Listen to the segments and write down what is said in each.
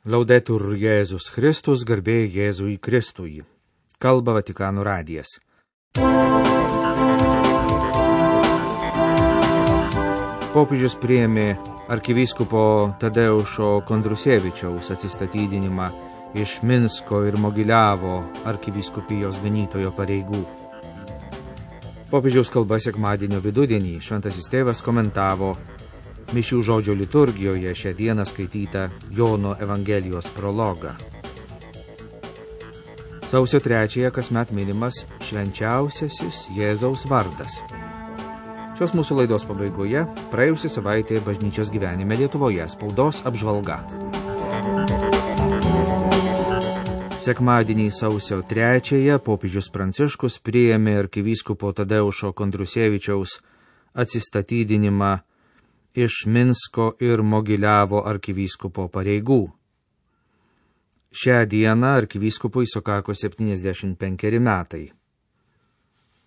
Laudetur Jėzus Kristus, garbė Jėzui Kristui. Kalba Vatikano radijas. Popiežius priėmė arkivyskupo Tadeušo Kondrusevičiaus atsistatydinimą iš Minsko ir Mogiliavo arkivyskupijos ganytojo pareigų. Popiežiaus kalba sekmadienio vidudienį šventasis tėvas komentavo mišių žodžio liturgijoje šią dieną skaitytą Jono Evangelijos prologą. Sausio 3 kasmet minimas švenčiausiasis Jėzaus vardas. Šios mūsų laidos pabaigoje praėjusią savaitę bažnyčios gyvenime Lietuvoje spaudos apžvalga. Sekmadienį sausio 3 popiežius Pranciškus priėmė arkivyskupo Tadeušo Kondrusevičiaus atsistatydinimą iš Minsko ir Mogiliavo arkivyskupo pareigų. Šią dieną arkivyskupui sukako 75 metai.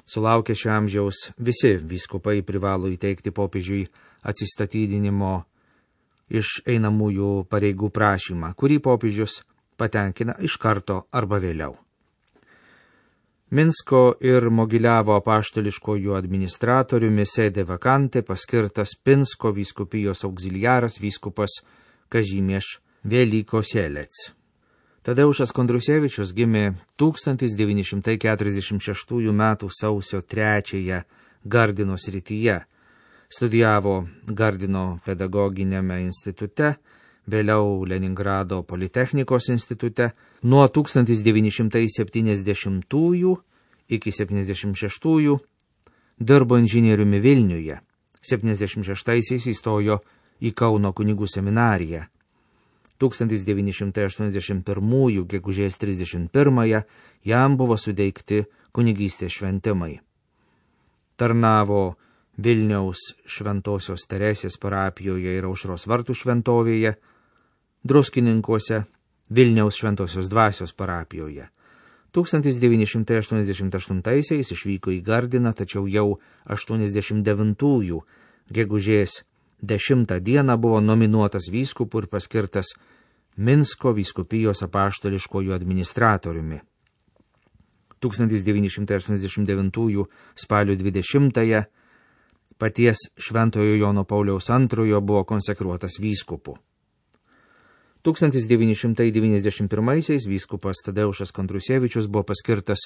Sulaukę šio amžiaus visi vyskupai privalo įteikti popiežiui atsistatydinimo iš einamųjų pareigų prašymą, kurį popiežius patenkina iš karto arba vėliau. Minsko ir Mogiliavo apaštališkojų administratoriumi sėdė vakante paskirtas Pinsko vyskupijos auxiliaras vyskupas Kazimieš Velykosielec. Tadeušas Kondrusevičius gimė 1946 m. sausio 3 Gardino srityje. Studijavo Gardino pedagoginiame institute, vėliau Leningrado politechnikos institute. Nuo 1970 iki 76 dirbo inžinieriumi Vilniuje. 76 įstojo į Kauno kunigų seminariją. 1981 gegužės 31 jam buvo suteikti kunigystės šventimai. Tarnavo Vilniaus Šventosios Teresės parapijoje ir Aušros vartų šventovėje, Druskininkuose Vilniaus Šventosios dvasios parapijoje. 1988 išvyko į Gardiną, tačiau jau 89 gegužės 10 dieną buvo nominuotas vyskupu ir paskirtas Minsko vyskupijos apaštališkojų administratoriumi. 1989 spalio 20 paties Šventojo Jono Pauliaus II buvo konsekruotas vyskupu. 1991 vyskupas Tadeušas Kondrusevičius buvo paskirtas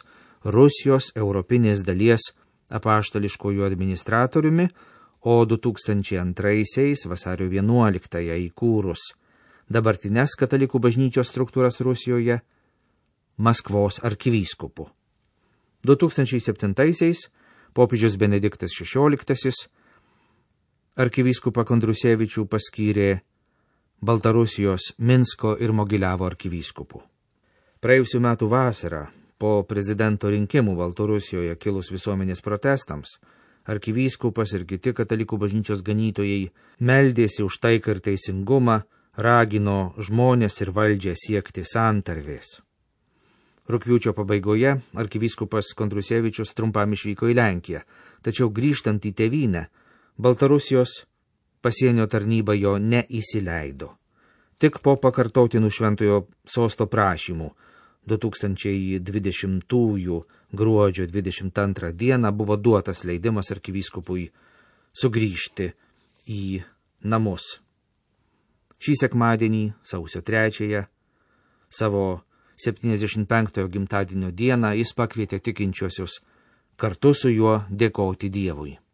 Rusijos europinės dalies apaštališkojų administratoriumi, o 2002 vasario 11 įkūrus dabartinės katalikų bažnyčios struktūras Rusijoje Maskvos arkivyskupu. 2007 popiežius Benediktas XVI arkivyskupą Kondrusevičių paskyrė Baltarusijos Minsko ir Mogiliavo arkivyskupu. Praėjusių metų vasarą, po prezidento rinkimų Baltarusijoje kilus visuomenės protestams, arkivyskupas ir kiti katalikų bažnyčios ganytojai meldėsi už taiką ir teisingumą, ragino žmonės ir valdžią siekti santarvės. Rugpjūčio pabaigoje arkivyskupas Kondrusevičius trumpam išvyko į Lenkiją, tačiau grįžtant į tėvynę, Baltarusijos pasienio tarnyba jo neįsileido. Tik po pakartotinų šventojo sosto prašymų 2020 gruodžio 22 dieną buvo duotas leidimas arkivyskupui sugrįžti į namus. Šį sekmadienį, sausio 3, savo 75 gimtadienio dieną jis pakvietė tikinčiuosius kartu su juo dėkoti Dievui.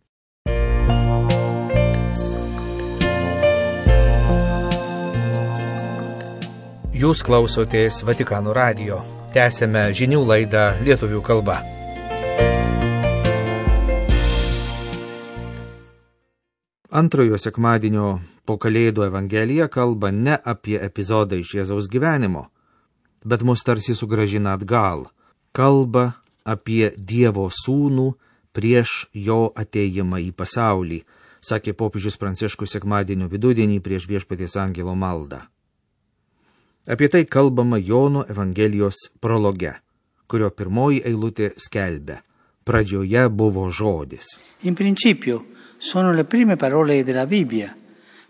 Jūs klausotės Vatikano radijo. Tęsėme žinių laidą lietuvių kalba. Antrojo sekmadienio po Kalėdų Evangelija kalba ne apie epizodą iš Jėzaus gyvenimo, bet mus tarsi sugrąžina atgal. Kalba apie Dievo sūnų prieš jo atėjimą į pasaulį, sakė popiežius Pranciškus sekmadienio vidudienį prieš Viešpaties angelo maldą. Apie tai kalbama Jono Evangelijos prologe, kurio pirmoji eilutė skelbia: pradžioje buvo žodis. In principio sono le prime parole della Bibbia,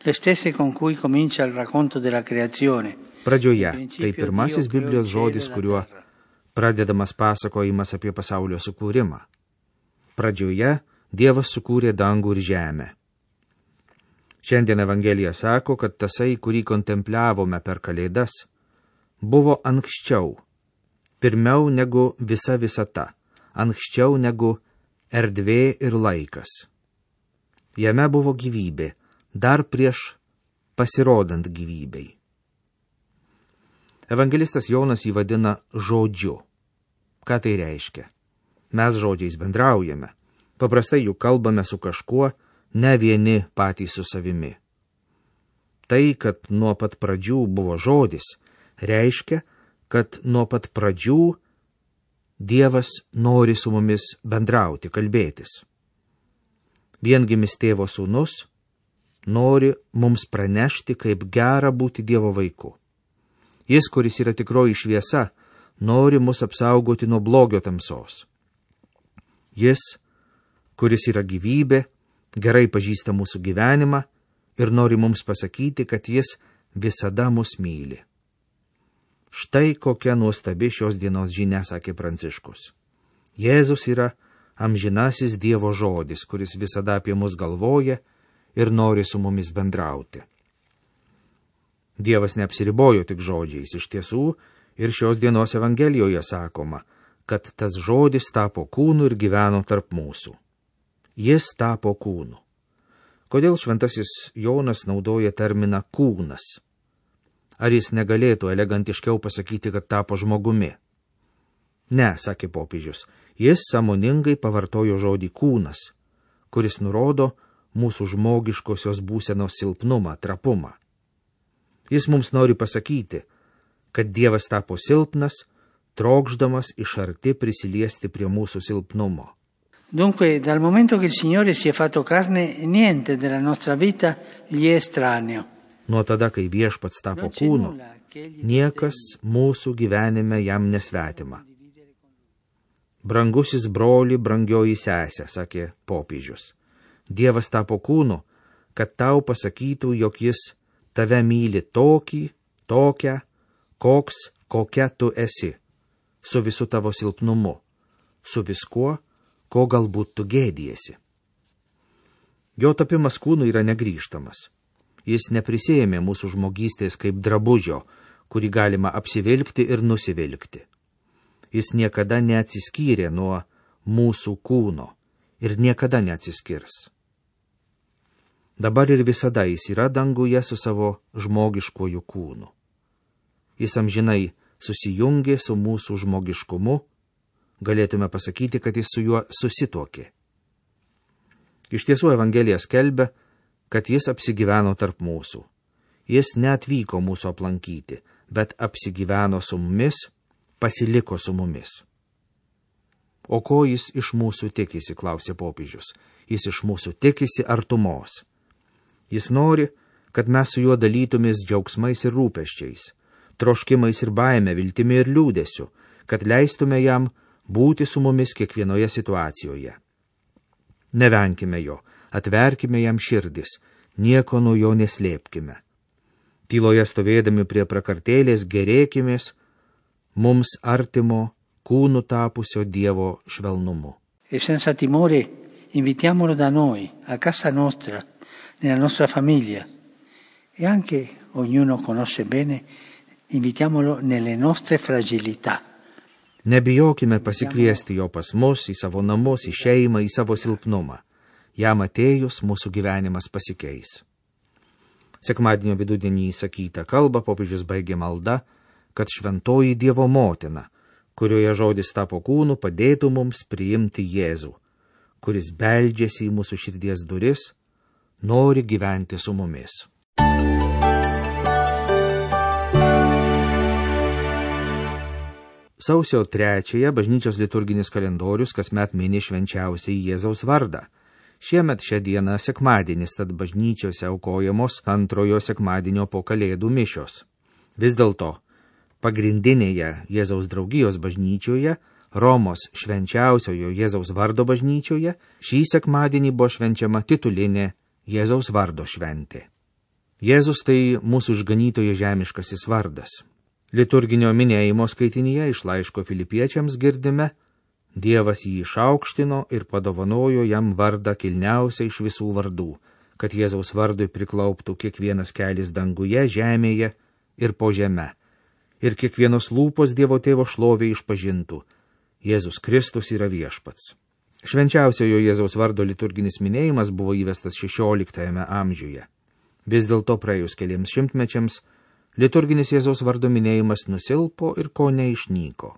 le stesse con cui comincia il racconto della creazione, Pradžioje tai pirmasis Biblijos žodis, kuriuo pradedamas pasakojimas apie pasaulio sukūrimą. Pradžioje Dievas sukūrė dangų ir žemę. Šiandien Evangelija sako, kad tasai, kurį kontempliavome per Kalėdas, buvo anksčiau, pirmiau negu visa visata, anksčiau negu erdvė ir laikas. Jame buvo gyvybė, dar prieš pasirodant gyvybei. Evangelistas Jonas jį vadina žodžiu. Ką tai reiškia? Mes žodžiais bendraujame. Paprastai juk kalbame su kažkuo, ne vieni patys su savimi. Tai, kad nuo pat pradžių buvo žodis, reiškia, kad nuo pat pradžių Dievas nori su mumis bendrauti, kalbėtis. Viengimis tėvo sūnus nori mums pranešti, kaip gera būti Dievo vaiku. Jis, kuris yra tikroji šviesa, nori mus apsaugoti nuo blogio tamsos. Jis, kuris yra gyvybė, gerai pažįsta mūsų gyvenimą ir nori mums pasakyti, kad jis visada mus myli. Štai kokia nuostabi šios dienos žinia, sakė Pranciškus. Jėzus yra amžinasis Dievo žodis, kuris visada apie mus galvoja ir nori su mumis bendrauti. Dievas neapsiribojo tik žodžiais, iš tiesų ir šios dienos Evangelijoje sakoma, kad tas žodis tapo kūnu ir gyveno tarp mūsų. Jis tapo kūnu. Kodėl šventasis Jonas naudoja terminą kūnas? Ar jis negalėtų elegantiškiau pasakyti, kad tapo žmogumi? Ne, sakė popiežius, jis sąmoningai pavartojo žodį kūnas, kuris nurodo mūsų žmogiškosios būsenos silpnumą, trapumą. Jis mums nori pasakyti, kad Dievas tapo silpnas, trokšdamas iš arti prisiliesti prie mūsų silpnumo. Dunque, dal momento che il Signore si è fatto carne, niente della nostra vita gli è estraneo. Nuo tada, kai Viešpats tapo kūnu, niekas mūsų gyvenime jam nesvetima. Brangusis broli, brangioji sesė, sakė popiežius. Dievas tapo kūnu, kad tau pasakytų, jog jis tave myli tokį, tokią, kokia tu esi, su visu tavo silpnumu, su viskuo, ko galbūt tu gėdiesi. Jo tapimas kūnu yra negrįžtamas. Jis neprisėmė mūsų žmogystės kaip drabužio, kurį galima apsivilkti ir nusivilkti. Jis niekada neatsiskyrė nuo mūsų kūno ir niekada neatsiskirs. Dabar ir visada jis yra danguje su savo žmogiškuoju kūnu. Jis amžinai susijungė su mūsų žmogiškumu, galėtume pasakyti, kad jis su juo susituokė. Iš tiesų Evangelija skelbia, kad jis apsigyveno tarp mūsų. Jis neatvyko mūsų aplankyti, bet apsigyveno su mumis, pasiliko su mumis. O ko jis iš mūsų tikisi, klausė popiežius. Jis iš mūsų tikisi artumos. Jis nori, kad mes su juo dalytumės džiaugsmais ir rūpesčiais, troškimais ir baime, viltimi ir liūdesiu, kad leistume jam būti su mumis kiekvienoje situacijoje. Nevenkime jo, atverkime jam širdis, nieko nuo jo neslėpkime. Tyloje stovėdami prie prakartėlės gerėkimės mums artimo kūnu tapusio Dievo švelnumu. E senza timore invitiamolo da noi, a casa nostra, nella nostra famiglia. E anche ognuno conosce bene, invitiamolo nelle nostre fragilità. Nebijokime pasikviesti jo pas mus, į savo namus, į šeimą, į savo silpnumą. Jam atėjus mūsų gyvenimas pasikeis. Sekmadienio vidudienį įsakytą kalbą popiežius baigė malda, kad šventoji Dievo motina, kurioje žodis tapo kūnu, padėtų mums priimti Jėzų, kuris beldžiasi į mūsų širdies duris, nori gyventi su mumis. Sausio 3 bažnyčios liturginis kalendorius kasmet mini švenčiausiai Jėzaus vardą. Šiemet šią dieną sekmadienis, tad bažnyčiose aukojamos antrojo sekmadienio po Kalėdų mišios. Vis dėlto, pagrindinėje Jėzaus draugijos bažnyčioje, Romos švenčiausiojo Jėzaus vardo bažnyčioje, šį sekmadienį buvo švenčiama titulinė Jėzaus vardo šventė. Jėzus tai mūsų išganytojo žemiškasis vardas. Liturginio minėjimo skaitinyje iš laiško Filipiečiams girdime: Dievas jį išaukštino ir padovanojo jam vardą kilniausią iš visų vardų, kad Jėzaus vardui priklauptų kiekvienas kelis danguje, žemėje ir po žeme. Ir kiekvienos lūpos Dievo tėvo šlovė išpažintų: Jėzus Kristus yra viešpats. Švenčiausiojo Jėzaus vardo liturginis minėjimas buvo įvestas 16 amžiuje. Vis dėlto praėjus keliems šimtmečiams liturginis Jėzaus vardo minėjimas nusilpo ir kone išnyko.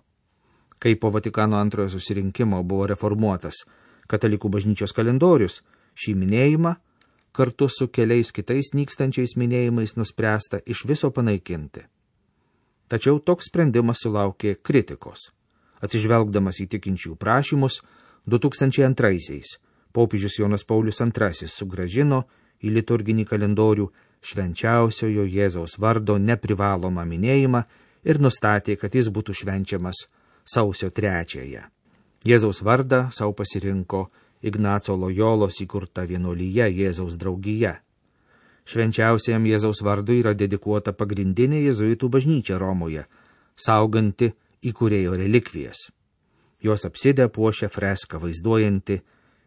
Kai po Vatikano antrojo susirinkimo buvo reformuotas katalikų bažnyčios kalendorius, šį minėjimą kartu su keliais kitais nykstančiais minėjimais nuspręsta iš viso panaikinti. Tačiau toks sprendimas sulaukė kritikos. Atsižvelgdamas į tikinčių prašymus, 2002-aisiais popiežius Jonas Paulius II sugrąžino į liturginį kalendorių švenčiausiojo Jėzaus vardo neprivalomą minėjimą ir nustatė, kad jis būtų švenčiamas sausio 3-ąją. Jėzaus vardą savo pasirinko Ignaco Lojolos įkurta vienuolyje Jėzaus draugija. Švenčiausiajam Jėzaus vardui yra dedikuota pagrindinė jėzuitų bažnyčia Romoje, sauganti įkūrėjo relikvijas. Jos apsidę puošia freską vaizduojanti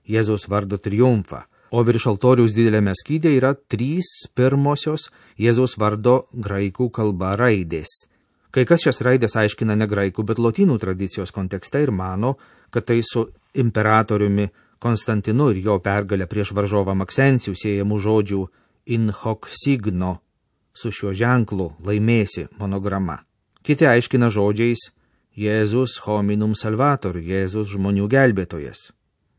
Jėzaus vardo triumfą, o virš altoriaus didelėme skyde yra 3 pirmosios Jėzaus vardo graikų kalba raidės. Kai kas šias raidės aiškina ne graikų, bet lotynų tradicijos kontekste ir mano, kad tai su imperatoriumi Konstantinu ir jo pergalę prieš varžovą Maksencijų siejamų žodžių in hoc signo, su šiuo ženklu laimėsi monograma. Kiti aiškina žodžiais Jėzus hominum salvator, Jėzus žmonių gelbėtojas.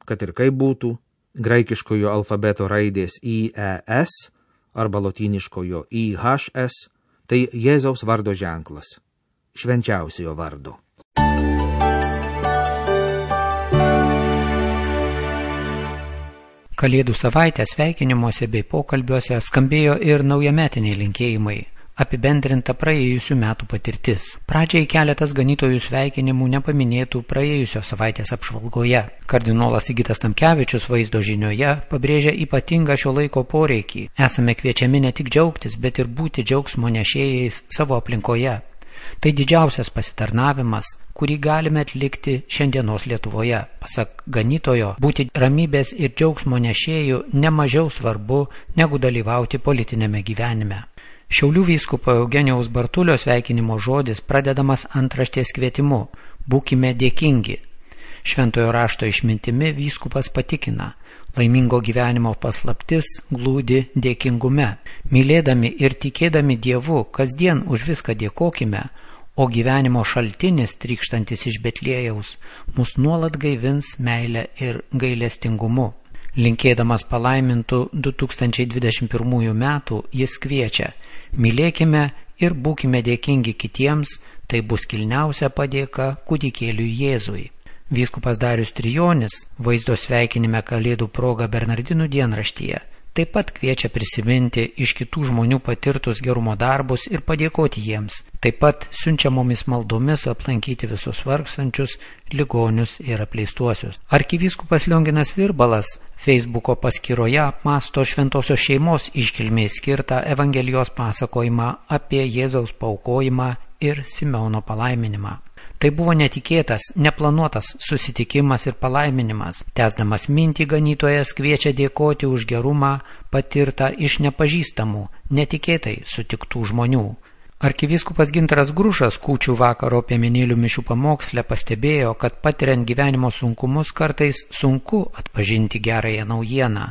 Kad ir kaip būtų, graikiškojo alfabeto raidės IES arba lotyniškojo IHS tai Jėzaus vardo ženklas, švenčiausiojo vardo. Kalėdų savaitės sveikinimuose bei pokalbiuose skambėjo ir naujametiniai linkėjimai, apibendrinta praėjusių metų patirtis. Pradžiai keletas ganytojų sveikinimų nepaminėtų praėjusios savaitės apžvalgoje. Kardinolas Sigitas Tamkevičius vaizdo žinioje pabrėžia ypatingą šio laiko poreikį. Esame kviečiami ne tik džiaugtis, bet ir būti džiaugsmo nešėjais savo aplinkoje. Tai didžiausias pasitarnavimas, kurį galime atlikti šiandienos Lietuvoje. Pasak ganytojo, būti ramybės ir džiaugsmo nešėjų nemažiau svarbu negu dalyvauti politinėme gyvenime. Šiaulių vyskupo Eugenijaus Bartulio sveikinimo žodis pradedamas antraštės kvietimu: būkime dėkingi. Šventojo rašto išmintimi vyskupas patikina: laimingo gyvenimo paslaptis glūdi dėkingume. Mylėdami ir tikėdami Dievu, kasdien už viską dėkokime, o gyvenimo šaltinis, trykštantis iš Betliejaus, mus nuolat gaivins meilę ir gailestingumu. Linkėdamas palaimintų 2021 metų, jis kviečia: mylėkime ir būkime dėkingi kitiems, tai bus kilniausia padėka kūdikėliui Jėzui. Vyskupas Darius Trijonis vaizdo sveikinime Kalėdų proga Bernardinų dienraštyje taip pat kviečia prisiminti iš kitų žmonių patirtus gerumo darbus ir padėkoti jiems. Taip pat siunčiamomis maldomis aplankyti visus vargstančius, ligonius ir apleistuosius. Arkivyskupas Lionginas Virbalas Facebooko paskyroje apmąsto šventosios šeimos iškilmei skirtą Evangelijos pasakojimą apie Jėzaus paaukojimą ir Simeono palaiminimą. Tai buvo netikėtas, neplanuotas susitikimas ir palaiminimas. Tęsdamas mintį, ganytojas kviečia dėkoti už gerumą patirtą iš nepažįstamų, netikėtai sutiktų žmonių. Arkivyskupas Gintaras Grušas kūčių vakaro piemenėlių mišių pamoksle pastebėjo, kad patiriant gyvenimo sunkumus kartais sunku atpažinti gerąją naujieną,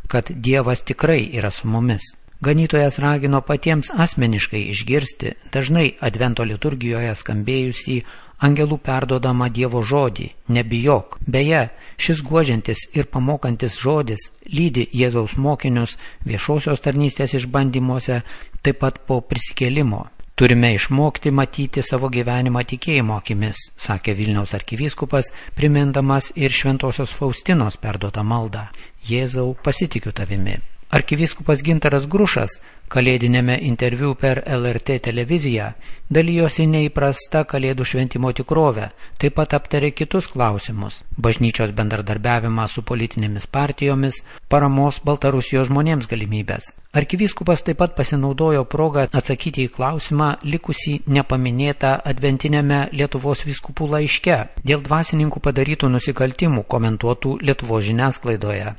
kad Dievas tikrai yra su mumis. Ganytojas ragino patiems asmeniškai išgirsti dažnai advento liturgijoje skambėjusį angelų perdodamą Dievo žodį: nebijok. Beje, šis guodžiantis ir pamokantis žodis lydi Jėzaus mokinius viešosios tarnystės išbandymuose, taip pat po prisikėlimo. Turime išmokti matyti savo gyvenimą tikėjimo akimis, sakė Vilniaus arkivyskupas, primindamas ir šventosios Faustinos perduotą maldą: Jėzau, pasitikiu tavimi. Arkivyskupas Gintaras Grušas kalėdinėme interviu per LRT televiziją dalijosi neįprasta kalėdų šventimo tikrovę, taip pat aptarė kitus klausimus – bažnyčios bendradarbiavimą su politinėmis partijomis, paramos Baltarusijos žmonėms galimybės. Arkivyskupas taip pat pasinaudojo progą atsakyti į klausimą likusį nepaminėtą adventinėme Lietuvos vyskupų laiške dėl dvasininkų padarytų nusikaltimų komentuotų Lietuvos žiniasklaidoje.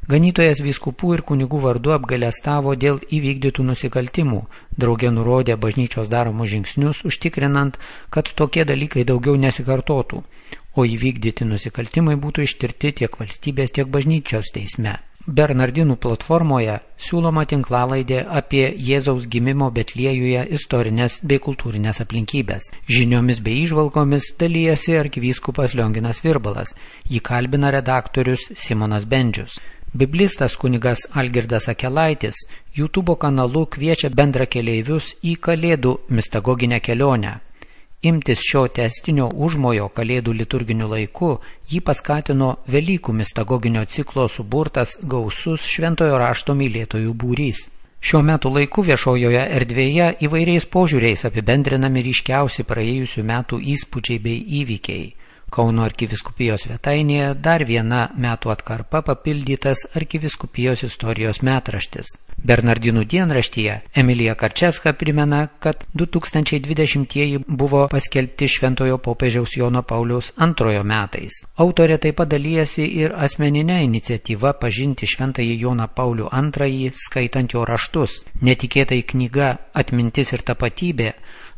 Ganytojas vyskupų ir kunigų vardu apgailestavo dėl įvykdytų nusikaltimų, drauge nurodė bažnyčios daromus žingsnius, užtikrinant, kad tokie dalykai daugiau nesikartotų, o įvykdyti nusikaltimai būtų ištirti tiek valstybės, tiek bažnyčios teisme. Bernardinų platformoje siūloma tinklalaidė apie Jėzaus gimimo Betliejuje istorinės bei kultūrinės aplinkybės. Žiniomis bei įžvalgomis dalyjasi arkivyskupas Lionginas Virbalas, jį kalbina redaktorius Simonas Bendžius. Biblistas kunigas Algirdas Akelaitis YouTube kanalu kviečia bendrakeleivius į Kalėdų mistagoginę kelionę. Imtis šio testinio užmojo Kalėdų liturginiu laiku jį paskatino Velykų mistagoginio ciklo suburtas gausus šventojo rašto mylėtojų būrys. Šiuo metu laiku viešojoje erdvėje įvairiais požiūriais apibendrinami ryškiausi praėjusių metų įspūdžiai bei įvykiai. Kauno arkivyskupijos svetainėje dar viena metų atkarpa papildytas arkivyskupijos istorijos metraštis. Bernardinų dienraštyje Emilija Karčevska primena, kad 2020 buvo paskelbti šventojo popiežiaus Jono Pauliaus II metais. Autorė taip pat dalyjasi ir asmeninę iniciatyvą pažinti šventąjį Joną Paulių II, skaitant jo raštus. Netikėtai knyga Atmintis ir tapatybė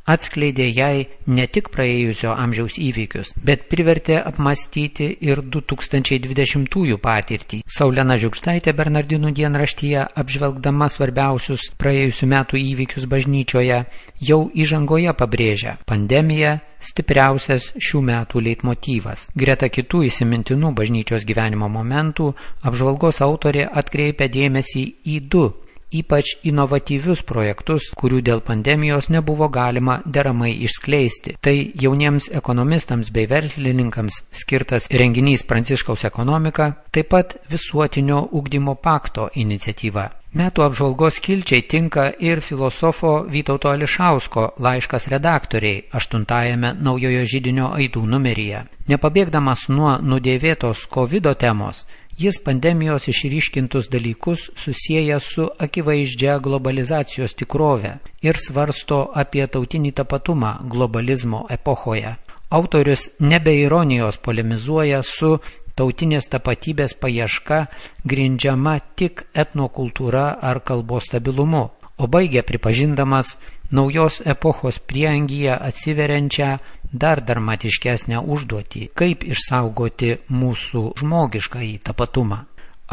atskleidė jai ne tik praėjusio amžiaus įvykius, bet privertė apmąstyti ir 2020 patirtį. Saulena Žiugždaitė Bernardinų dienraštyje, apžvelgdama svarbiausius praėjusių metų įvykius bažnyčioje, jau įžangoje pabrėžia: pandemija stipriausias šių metų leitmotyvas. Greta kitų įsimintinų bažnyčios gyvenimo momentų, apžvalgos autorė atkreipia dėmesį į du ypač inovatyvius projektus, kurių dėl pandemijos nebuvo galima deramai išskleisti. Tai jauniems ekonomistams bei verslininkams skirtas renginys Pranciškaus ekonomika, taip pat visuotinio ugdymo pakto iniciatyva. Metų apžvalgos skilčiai tinka ir filosofo Vytauto Ališausko laiškas redaktoriai 8-ajame Naujojo židinio aidų numeryje. Nepabėgdamas nuo nudėvėtos COVID temos, jis pandemijos išryškintus dalykus susieja su akivaizdžia globalizacijos tikrove ir svarsto apie tautinį tapatumą globalizmo epochoje. Autorius nebe ironijos polemizuoja su tautinės tapatybės paieška grindžiama tik etnokultūra ar kalbos stabilumu, o baigia pripažindamas naujos epochos prieangyje atsiveriančią dar dramatiškesnę užduotį, kaip išsaugoti mūsų žmogiškąjį tapatumą.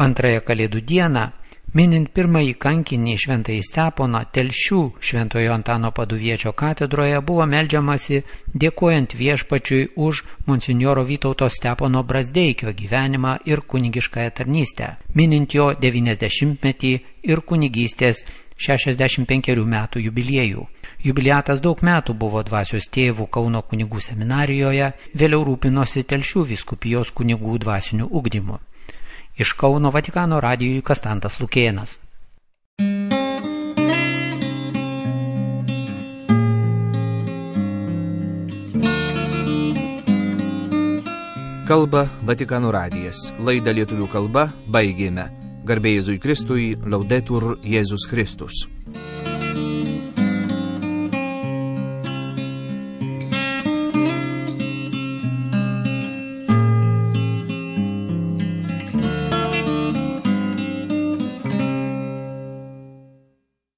Antrąją Kalėdų dieną, minint pirmąjį kankinį Šventąjį Steponą, Telšių Šventojo Antano Paduviečio katedroje buvo meldžiamasi dėkojant Viešpačiui už monsinjoro Vytauto Stepono Brazdeikio gyvenimą ir kunigiškąją tarnystę, minint jo 90-metį ir kunigystės 65 metų jubiliejų. Jubiliatas daug metų buvo dvasios tėvų Kauno kunigų seminarijoje, vėliau rūpinosi Telšių vyskupijos kunigų dvasiniu ugdymu. Iš Kauno Vatikano radijui Kastantas Lukėnas. Kalba Vatikano radijas. Laidą lietuvių kalba baigėme. Garbė Jėzui Kristui, Laudetur Jėzus Kristus.